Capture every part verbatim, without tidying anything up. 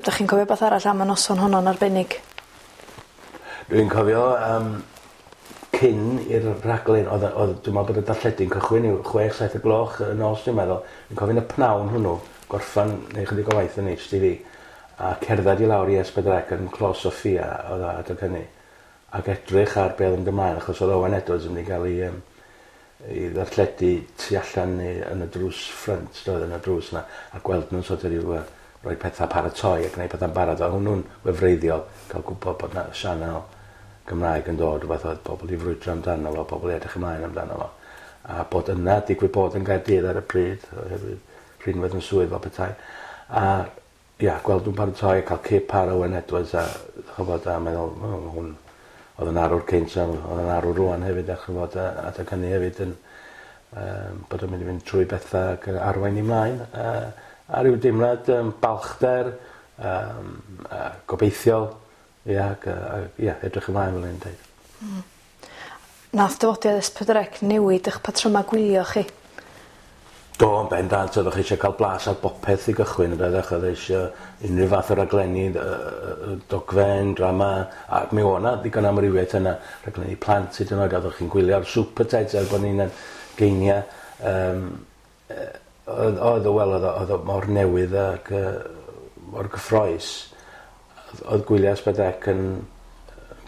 Dach chi'n cofio beth arall am y noson honno'n arbennig? Dwi'n cofio um, cyn i'r rhaglen, oedd, oedd, dwi'n meddwl bod y darlledu'n cychwyn i'w chwech, saith y gloch y nos, dwi'n meddwl. Dwi'n cofio yn y pnawn hwnnw, gorffan neu chydig o waith yn H T V, a cerdded i lawr i S pedwar C yn Clos Sophia, oedd o adeg hynny, ac edrych ar be oedd yn ymlaen, achos oedd Owen Edwards yn mynd i gael ei, um, ei ddarlledu tu allan yn y drws ffrynt, doedd, yn y drws yna, a gweld nhw'n sort of ryw, uh, rhoi pethau paratoi a gwneud pethau'n barod, a hwnnw'n wefreiddiol, cael gwybod bod na sianel Gymraeg yn dod, rhywbeth oedd pobl i frwydro amdano fo, pobl i edrych ymlaen amdano fo. A bod yna, digwydd bod yn Gaerdydd ar y pryd, oherwydd rhinwedd yn swydd fel petai. A ia, gweld nhw'n paratoi a cael cip ar Owen Edwards a chybod, a meddwl, oh, hwn oedd yn arwr cynt, oedd yn arwr rwan hefyd, a chybod, a adeg hynny hefyd yn um, bod o'n mynd i fynd trwy bethau ac arwain i mlaen. A, a ryw deimlad um, balchder, um, a gobeithiol, ia, ac, a, ia, edrych ymlaen fel un dweud. Mm. Nath dyfodiad S pedwar C newid eich patryma gwylio chi? Do, yn bendant, oeddech chi eisiau cael blas ar bopeth i gychwyn, oeddech chi eisiau unrhyw fath o raglenni, dogfen, drama, a mi oedd 'na ddigon amrywiaeth yna, rhaglenni plant hyd yn oed, oeddech chi'n gwylio ar Super Teds er bod ni'n geinia. Um, oedd, oedd o, wel, oedd, oedd o mor newydd ac uh, mor gyffrous. Oedd gwylio S pedwar C yn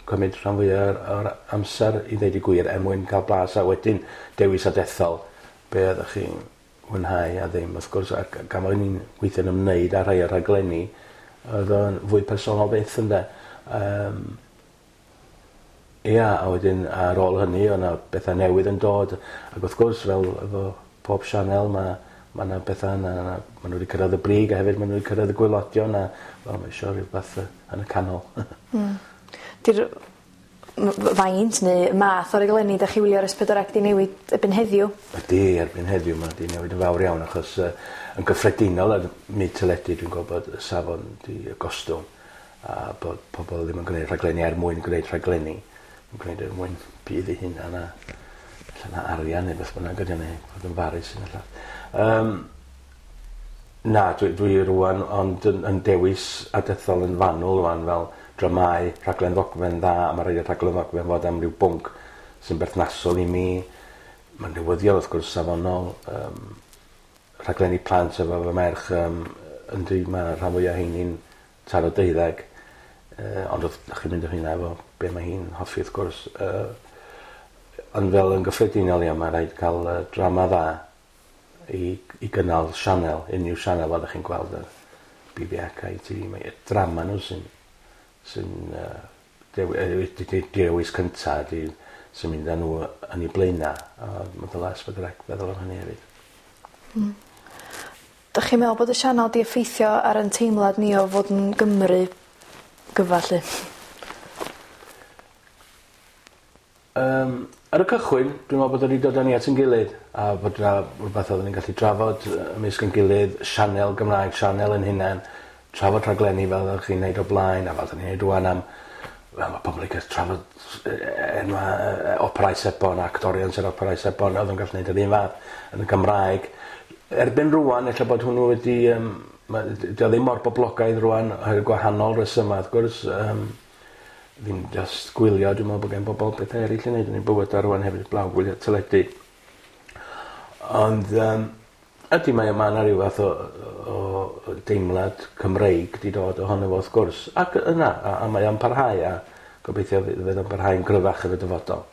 cymryd rhan fwyaf o'r amser i ddeud y gwir er mwyn cael blas a wedyn dewis a dethol be oeddech chi'n mwynhau a ddim. Wrth gwrs, ac gan bod ni'n gweithio'n ymwneud â rhai o'r rhaglenni, oedd o'n fwy personol byth ynde. Um, ia, a wedyn ar ôl hynny, oedd yna bethau newydd yn dod, ac wrth gwrs, fel efo pob sianel, mae ma yna bethau yna, ma nhw wedi cyrraedd y brig a hefyd ma nhw wedi cyrraedd y gwaelodion a wel, mae eisiau rhywbeth yn y canol. Mm. Di'r faint neu math o raglenni da chi wylio ar S pedwar C di newid erbyn heddiw? Ydy, erbyn heddiw mae di newid yn fawr iawn achos uh, yn gyffredinol ar myd teledu dwi'n gwybod bod y safon di gostwng a bod pobl ddim yn gwneud rhaglenni er mwyn gwneud rhaglenni, yn gwneud er mwyn budd eu hunan a allan arian neu beth bynnag ydy neu fod yn farus yn allan. Um, na, dwi, dwi rwan ond yn, yn dewis a dethol yn fanwl rwan fel dramau, rhaglen ddogfen dda, a mae rhaid i'r rhaglen ddogfen fod am ryw bwnc sy'n berthnasol i mi. Mae'n newyddion wrth gwrs safonol, um, rhaglenni plant efo fy merch, um, yndi, mae rhan fwyaf heini'n taro deuddeg, uh, ond wrth chi'n mynd o hynna efo be mae hi'n hoffi wrth gwrs. Uh, ond fel yn gyffredinol ia, mae rhaid cael uh, drama dda i, i gynnal sianel, unrhyw sianel fel ydych chi'n gweld ar B B C I T V, mae drama nhw sy'n sy'n uh, dewis cynta di, sy'n mynd â nhw yn ei blaenau, a mae dylai S pedwar C feddwl am hynny hefyd. Mm. Dych chi'n meddwl bod y sianel di effeithio ar ein teimlad ni o fod yn Gymru gyfa lly? Um, ar y cychwyn, dwi'n meddwl bod wedi dod â ni at ein gilydd, a bod yna rhywbeth oedden ni'n gallu trafod ymysg ein gilydd, sianel Gymraeg, sianel yn hunan, trafod rhaglenni fel oeddech chi'n neud o blaen, a fel oeddech chi'n neud rwan am, wel, mae pobl yn gallu trafod enwa operau sebon, actorion sy'n operau sebon, oedd yn gallu neud yr un fath yn y Gymraeg. Erbyn rwan, ella bod hwnnw wedi, um, dio ddim mor boblogaidd rwan, oherwydd gwahanol resymau, wrth gwrs, um, ddim just gwylio, dwi'n meddwl bod gen bobl bethau eraill i wneud yn eu bywydau rwan hefyd, blaw gwylio teledu. Ond um, ydy mae yma yna rhyw fath o, o deimlad Cymreig di dod ohono fo wrth gwrs. Ac yna, a, a mae o'n parhau, a gobeithio fydd o'n parhau'n gryfach yn y dyfodol.